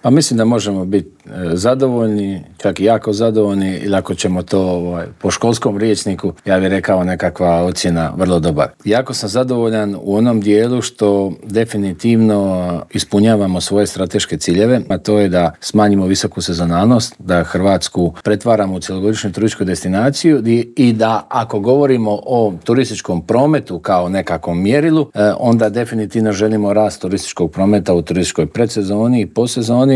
Pa mislim da možemo biti zadovoljni, čak i jako zadovoljni, ili ako ćemo to po školskom rječniku, ja bih rekao nekakva ocjena vrlo dobar. Jako sam zadovoljan u onom dijelu što definitivno ispunjavamo svoje strateške ciljeve, a to je da smanjimo visoku sezonalnost, da Hrvatsku pretvaramo u cjelogodišnju turističku destinaciju i da ako govorimo o turističkom prometu kao nekakvom mjerilu, onda definitivno želimo rast turističkog prometa u turističkoj predsezoni i posezoni,